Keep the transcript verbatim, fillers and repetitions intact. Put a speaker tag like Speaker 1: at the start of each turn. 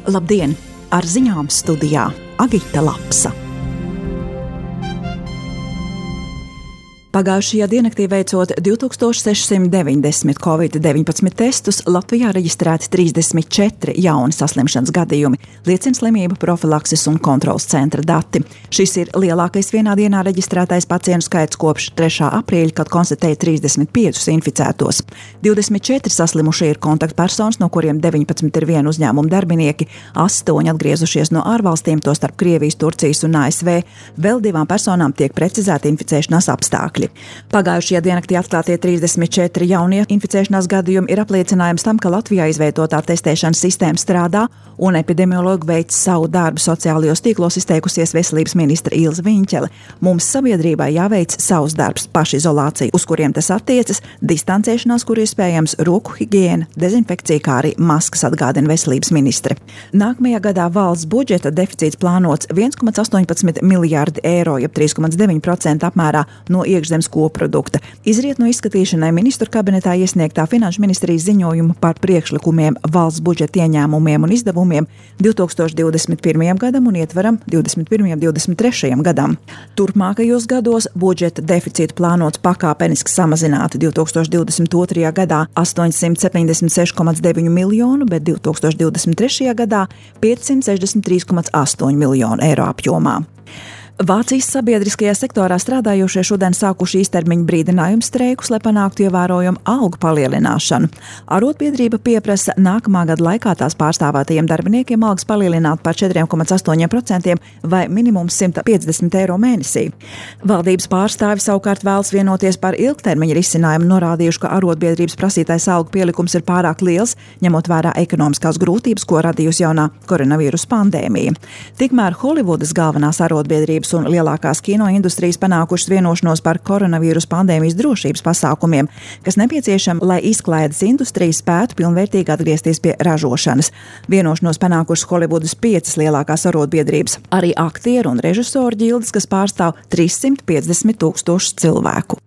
Speaker 1: Labdien! Ar ziņām studijā Agita Lapsa. Pagājušajā diennaktī veicot divi tūkstoši sešsimt deviņdesmit covid deviņpadsmit testus, Latvijā reģistrēti trīsdesmit četri jauni saslimšanas gadījumi, liecina slimību profilakses un kontroles centra dati. Šis ir lielākais vienā dienā reģistrētais pacientu skaits kopš trešā aprīļa, kad konstatēja trīsdesmit piecus inficētos. divdesmit četri saslimušie ir kontaktpersonas, no kuriem deviņpadsmit ir viena uzņēmuma darbinieki, astoņi atgriezušies no ārvalstīm, tostarp Krievijas, Turcijas un A S V. Vēl divām personām tiek precizēti inficēšanās apstākļi. Pagājušajā diennaktī atklātie trīsdesmit četri jaunie inficēšanās gadījumi ir apliecinājums tam, ka Latvijā izveidotā testēšanas sistēma strādā un epidemiologi veic savu darbu. Sociālajos tīklos izteikusies veselības ministre Ilze Viņķele. Mums sabiedrībai jāveic savs darbs, pašizolācija, uz kuriem tas attiecas, distancēšanās, kur iespējams, roku higiēna, dezinfekcija, kā arī maskas, atgādina veselības ministre. Nākamajā gadā valsts budžeta deficīts plānots viens komats astoņpadsmit miljārdi eiro, jeb trīs komats deviņi procenti apmērā no iekšzemes koprodukta. Izriet no izskatīšanai ministru kabinetā iesniegtā Finanšu ministrijas ziņojuma par priekšlikumiem valsts budžeta ieņēmumiem un izdevumiem divi tūkstoši divdesmit pirmajam gadam un ietveram divdesmit pirmajam divdesmit trešajam gadam. Turpmākajos gados budžeta deficītu plānots pakāpeniski samazināt divi tūkstoši divdesmit otrajā gadā astoņsimt septiņdesmit seši komats deviņi miljonu, bet divi tūkstoši divdesmit trešajā gadā piecsimt sešdesmit trīs komats astoņi miljonu eiro apjomā. Vācijas sabiedriskajā sektorā strādājošie šodien sākuši īstermiņa brīdinājumu streikus, lai panāktu ievērojumu algu palielināšanu. Arotbiedrība pieprasa nākamā gada laikā tās pārstāvētajiem darbiniekiem algas palielināt par četri komats astoņi procenti vai minimums simt piecdesmit eiro mēnesī. Valdības pārstāvi savukārt vēlas vienoties par ilgtermiņa risinājumu, norādījuši, ka arotbiedrības prasītais algu pielikums ir pārāk liels, ņemot vērā ekonomiskās grūtības, ko radījusi jaunā koronavīrusa pandēmija. Tikmēr Holivudas galvenās arotbiedrības un lielākās kinoindustrijas panākušas vienošanos par koronavīrusa pandēmijas drošības pasākumiem, kas nepieciešami, lai izklaides industrija spētu pilnvērtīgi atgriezties pie ražošanas. Vienošanos panākušas Holivudas piecas lielākās arotbiedrības, arī aktieru un režisoru ģildes, kas pārstāv trīssimt piecdesmit tūkstošus cilvēku.